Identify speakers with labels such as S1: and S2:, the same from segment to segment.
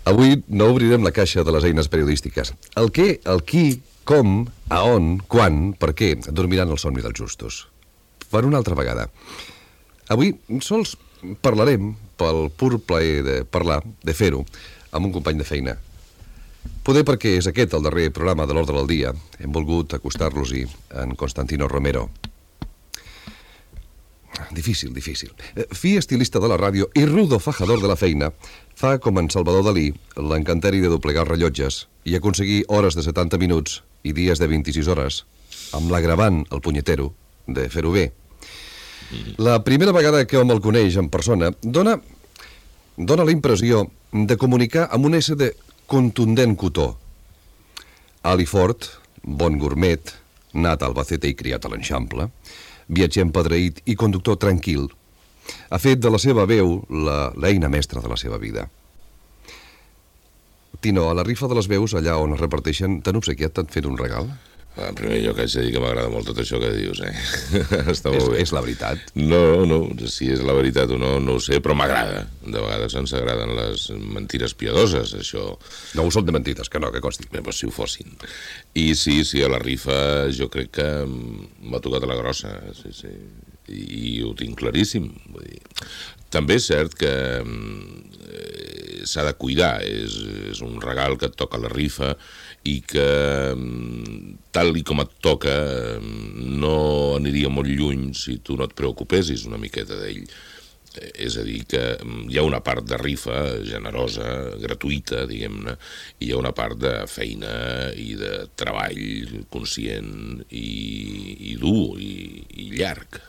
S1: Avui no obrirem la caixa de les eines periodístiques. El què, el qui, com, a on, quan, per què dormiran el somni dels justos. Per una altra vegada. Avui sols parlarem pel pur plaer de parlar, de fer-ho, amb un company de feina. Poder perquè és aquest el darrer programa de l'Ordre del Dia. Hem volgut acostar-los-hi en Constantino Romero. Difícil. Fi estilista de la ràdio i rudo fajador de la feina fa com en Salvador Dalí l'encanteri de doblegar rellotges i aconseguir hores de 70 minuts i dies de 26 hores amb l'agravant, el punyetero, de fer-ho bé. La primera vegada que hom el coneix en persona dona la impressió de comunicar amb un ésser de contundent cotó. Ali Fort, bon gourmet, nat a Albacete i criat a l'Eixample, viatger empedreït i conductor tranquil, ha fet de la seva veu l'eina mestra de la seva vida. Tino, a la rifa de les veus, allà on es reparteixen, t'han obsequiat, t'han fet un regal?
S2: En primer lloc haig de dir que m'agrada molt tot això que dius, Està molt bé.
S1: És la veritat?
S2: No, si és la veritat o no, no ho sé, però m'agrada. De vegades ens agraden les mentires piadoses, això.
S1: No ho són de mentides, que no, que consti.
S2: Bé, doncs si ho fossin. I sí, a la rifa jo crec que m'ha tocat a la grossa, sí. I ho tinc claríssim. Vull dir, també és cert que s'ha de cuidar, és un regal que et toca a la rifa i que tal i com et toca no aniria molt lluny si tu no et preocupessis una miqueta d'ell. És a dir, que hi ha una part de rifa generosa, gratuïta, diguem-ne, i hi ha una part de feina i de treball conscient i dur i llarg.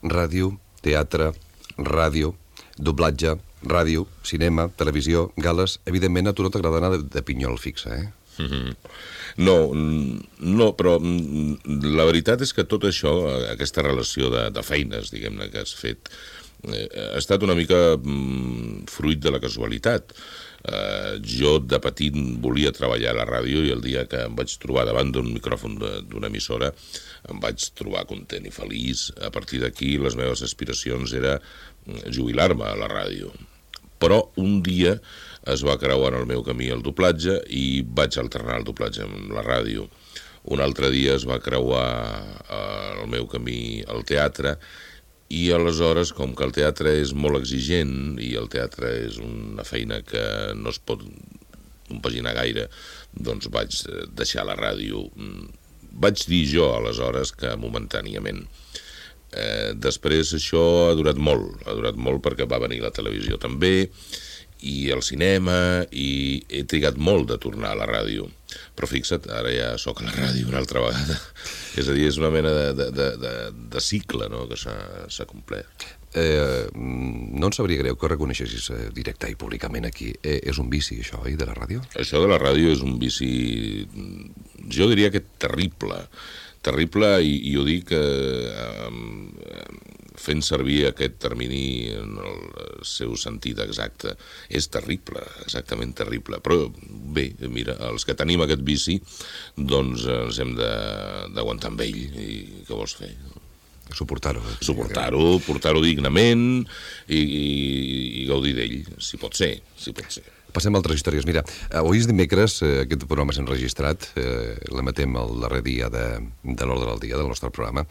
S1: Ràdio, teatre, ràdio, doblatge, ràdio, cinema, televisió, gales... Evidentment a tu no t'agrada anar de pinyol fixa,
S2: No, però la veritat és que tot això, aquesta relació de feines, diguem-ne, que has fet, ha estat una mica fruit de la casualitat. Jo de petit volia treballar a la ràdio i el dia que em vaig trobar davant d'un micròfon d'una emissora em vaig trobar content i feliç. A partir d'aquí les meves aspiracions era jubilar-me a la ràdio. Però un dia es va creuar en el meu camí el doblatge i vaig alternar el doblatge amb la ràdio. Un altre dia es va creuar el meu camí al teatre i aleshores, com que el teatre és molt exigent i el teatre és una feina que no es pot compaginar gaire, doncs vaig deixar la ràdio. Vaig dir jo aleshores que momentàniament. Després això ha durat molt perquè va venir la televisió també i el cinema i he trigat molt de tornar a la ràdio. Però fixa't, ara ja sóc a la ràdio una altra vegada. És a dir, és una mena de cicle, no?, que s'ha complert.
S1: No em sabria greu que ho reconeixessis directe i públicament aquí. És un vici, això, de la ràdio?
S2: Això de la ràdio és un vici, jo diria que terrible, i ho dic fent servir aquest termini en el seu sentit exacte. És terrible, exactament terrible. Però bé, mira, els que tenim aquest vici, doncs ens hem d'aguantar amb ell. I què vols fer?
S1: Suportar-ho.
S2: Portar-ho dignament i gaudir d'ell, si pot ser.
S1: Passem a altres històries. Mira, avui és dimecres, aquest programa s'ha enregistrat, l'emetem el darrer dia de l'Ordre del Dia, del nostre programa.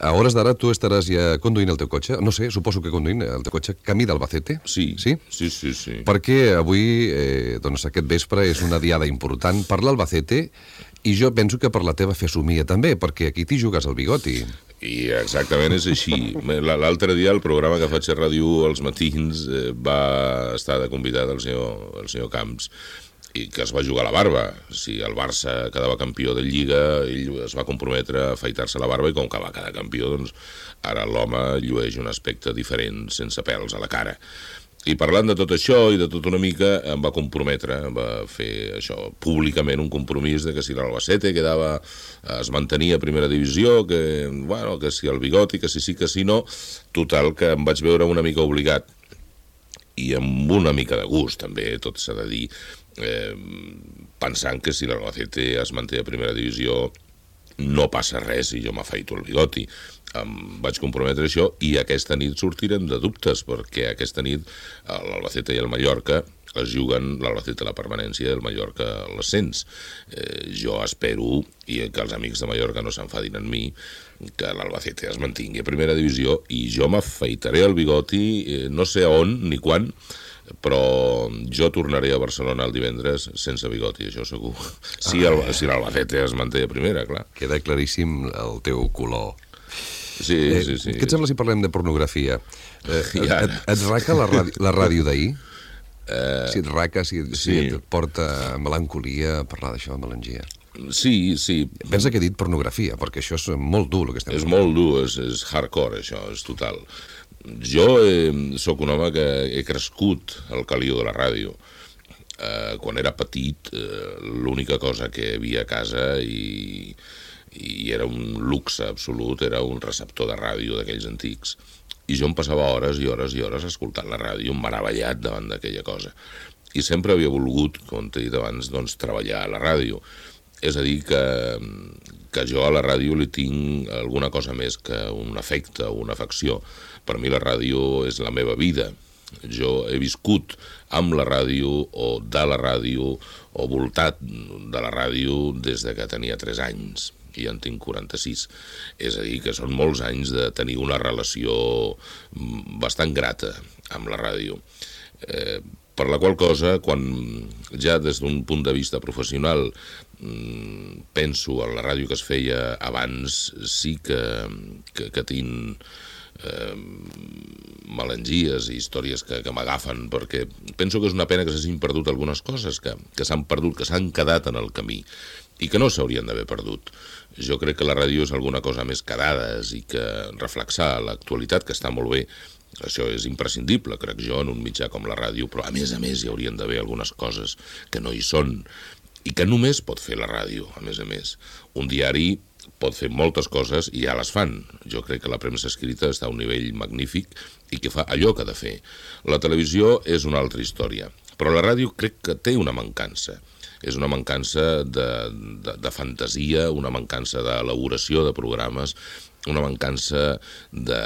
S1: A hores d'ara tu estaràs ja conduint el teu cotxe, no sé, suposo que conduint el teu cotxe camí d'Albacete?
S2: Sí.
S1: Perquè avui, doncs aquest vespre, és una diada important per l'Albacete i jo penso que per la teva fesomia també, perquè aquí t'hi jugues el bigoti.
S2: I exactament és així. L'altre dia el programa que faig a Ràdio als matins va estar de convidat el senyor Camps i que es va jugar la barba. Si el Barça quedava campió de Lliga, ell es va comprometre a afaitar-se la barba i com que va quedar campió, doncs ara l'home llueix un aspecte diferent, sense pèls a la cara. I parlant de tot això i de tot una mica, em va comprometre, va fer això públicament, un compromís de que si l'Albacete es mantenia a primera divisió, que si el bigoti, que si sí, que si no, total que em vaig veure una mica obligat i amb una mica de gust també, tot s'ha de dir, pensant que si l'Albacete es manté a primera divisió no passa res i jo m'afaito el bigoti. Em vaig comprometre això i aquesta nit sortirem de dubtes, perquè aquesta nit l'Albacete i el Mallorca es juguen l'Albacete la permanència i el Mallorca l'ascens. Jo espero, i que els amics de Mallorca no s'enfadin en mi, que l'Albacete es mantingui a primera divisió i jo m'afaitaré el bigoti, no sé on ni quan, però jo tornaré a Barcelona el divendres sense bigoti, això segur. Si l'Albacete es manté a primera, clar.
S1: Queda claríssim el teu color.
S2: Sí.
S1: Què et sembla si parlem de pornografia? Et raca la ràdio d'ahir? Si et raca, si et porta melancolia parlar d'això, melangia?
S2: Sí.
S1: Pensa que he dit pornografia, perquè això és molt dur, el que estem
S2: fent. És molt dur, és hardcore, això, és total. Jo sóc un home que he crescut al caliu de la ràdio. Quan era petit, l'única cosa que hi havia a casa i era un luxe absolut, era un receptor de ràdio d'aquells antics. I jo em passava hores i hores i hores escoltant la ràdio, meravellat davant d'aquella cosa. I sempre havia volgut, com t'he dit abans, doncs, treballar a la ràdio. És a dir, que jo a la ràdio li tinc alguna cosa més que un afecte o una afecció. Per mi la ràdio és la meva vida. Jo he viscut amb la ràdio o de la ràdio o voltat de la ràdio des de que tenia 3 anys i en tinc 46. És a dir, que són molts anys de tenir una relació bastant grata amb la ràdio. Per la qual cosa, quan ja des d'un punt de vista professional penso en la ràdio que es feia abans, sí que tinc melangies i històries que m'agafen, perquè penso que és una pena que s'hagin perdut algunes coses que s'han perdut, que s'han quedat en el camí i que no s'haurien d'haver perdut. Jo crec que la ràdio és alguna cosa més que dades i que reflexar l'actualitat, que està molt bé, això és imprescindible, crec jo, en un mitjà com la ràdio, però a més hi haurien d'haver algunes coses que no hi són i que només pot fer la ràdio, a més. Un diari pot fer moltes coses i ja les fan. Jo crec que la premsa escrita està a un nivell magnífic i que fa allò que ha de fer. La televisió és una altra història, però la ràdio crec que té una mancança. És una mancança de fantasia, una mancança d'elaboració de programes, una mancança de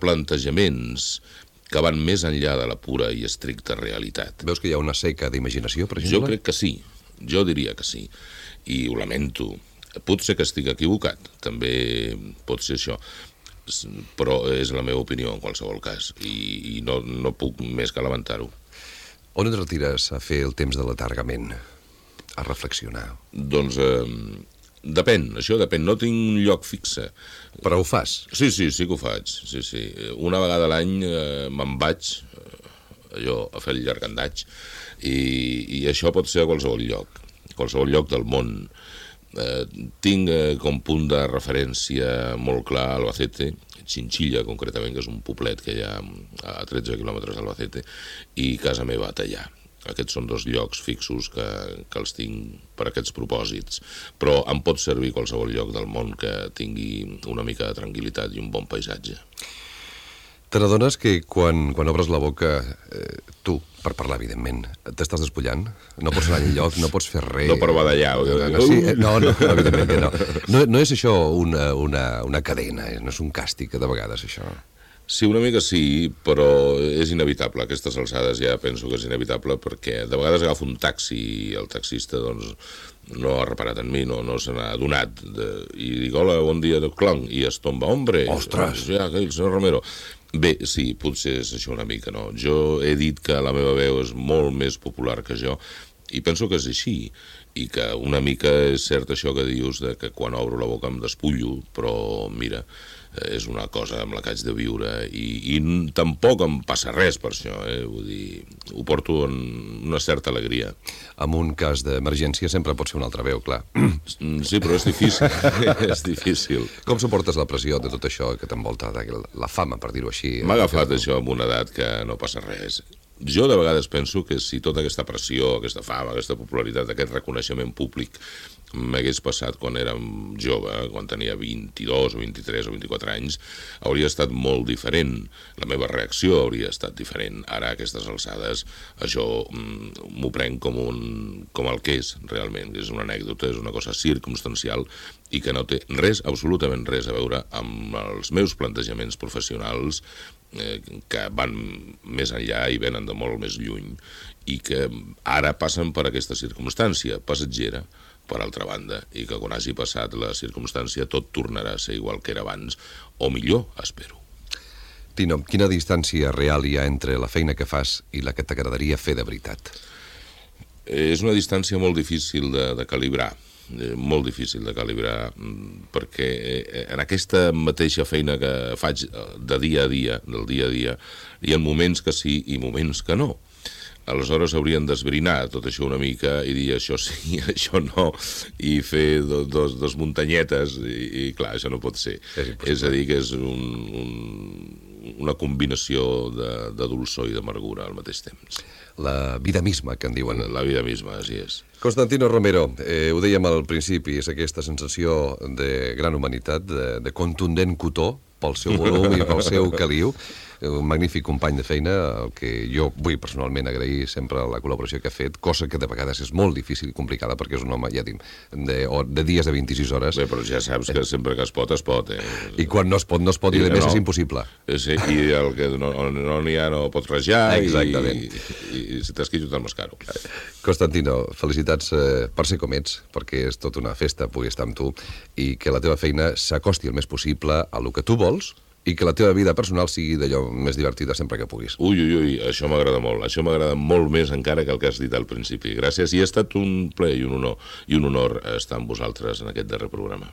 S2: plantejaments que van més enllà de la pura i estricta realitat.
S1: Veus que hi ha una seca d'imaginació, per exemple?
S2: Jo crec que sí, jo diria que sí, i ho lamento. Pot ser que estic equivocat, també pot ser això, però és la meva opinió en qualsevol cas, i no puc més que lamentar-ho.
S1: On et retires a fer el temps de l'atargament, a reflexionar?
S2: Doncs depèn, això depèn, no tinc un lloc fixe.
S1: Però ho fas?
S2: Sí que ho faig, sí. Una vegada a l'any me'n vaig, allò, a fer el llargandatge, i això pot ser a qualsevol lloc del món. Tinc com punt de referència molt clar Albacete, Chinchilla, concretament, que és un poblet que hi ha a 13 quilòmetres d'Albacete, i casa meva a Tallà. Aquests són 2 llocs fixos que els tinc per aquests propòsits, però em pot servir qualsevol lloc del món que tingui una mica de tranquil·litat i un bon paisatge.
S1: Te n'adones que quan obres la boca, tu, per parlar, evidentment, t'estàs despullant? No pots anar enlloc, no pots fer res...
S2: No per badallar.
S1: No, evidentment que no. No és això una cadena, no és un càstig, de vegades, això.
S2: Sí, una mica sí, però és inevitable. A aquestes alçades ja penso que és inevitable perquè de vegades agafo un taxi i el taxista doncs, no ha reparat en mi, no se n'ha adonat. I dic, hola, bon dia, clonc, i es tomba, hombre.
S1: Ostres!
S2: Ja, el senyor Romero. Bé, sí, potser és això una mica, no? Jo he dit que la meva veu és molt més popular que jo i penso que és així i que una mica és cert això que dius de que quan obro la boca em despullo, però mira, és una cosa amb la que haig de viure i tampoc em passa res per això, vull dir, ho porto en una certa alegria.
S1: En un cas d'emergència sempre pot ser una altra veu, clar.
S2: Sí, però és difícil, és difícil.
S1: Com suportes la pressió de tot això que t'envolta, la fama, per dir-ho així?
S2: M'ha agafat això amb una edat que no passa res. Jo de vegades penso que si tota aquesta pressió, aquesta fama, aquesta popularitat, aquest reconeixement públic m'hagués passat quan érem jove, quan tenia 22 o 23 o 24 anys, hauria estat molt diferent. La meva reacció hauria estat diferent. Ara, a aquestes alçades, això m'ho prenc com el que és, realment. És una anècdota, és una cosa circumstancial i que no té res, absolutament res a veure amb els meus plantejaments professionals que van més enllà i venen de molt més lluny i que ara passen per aquesta circumstància passatgera, per altra banda, i que quan hagi passat la circumstància tot tornarà a ser igual que era abans, o millor, espero.
S1: Tino, quina distància real hi ha entre la feina que fas i la que t'agradaria fer de veritat?
S2: És una distància molt difícil de calibrar, molt difícil de calibrar, perquè en aquesta mateixa feina que faig de dia a dia, del dia a dia, hi ha moments que sí i moments que no. Aleshores haurien d'esbrinar tot això una mica i dir això sí, això no, i fer dos muntanyetes, i clar, això no pot ser. És a dir, que és una combinació de dolçor i d'amargura al mateix temps.
S1: La vida misma, que en diuen.
S2: La vida misma, així és.
S1: Constantino Romero, ho dèiem al principi, és aquesta sensació de gran humanitat, de contundent cotó, pel seu volum i pel seu caliu. Un magnífic company de feina, el que jo vull personalment agrair sempre la col·laboració que ha fet, cosa que de vegades és molt difícil i complicada, perquè és un home, ja dic, de dies de 26 hores.
S2: Bé, però ja saps que sempre que es pot,
S1: I quan no es pot, no es pot, i a més és impossible.
S2: Sí, i el que no n'hi ha no pot rajar,
S1: exactament.
S2: I si t'has quitxut el mascaro.
S1: Constantino, felicitats per ser com ets, perquè és tota una festa poder estar amb tu, i que la teva feina s'acosti el més possible a lo que tu vols, i que la teva vida personal sigui d'allò més divertida sempre que puguis.
S2: Ui, això m'agrada molt. Això m'agrada molt més encara que el que has dit al principi. Gràcies, i ha estat un plaer i un honor estar amb vosaltres en aquest darrer programa.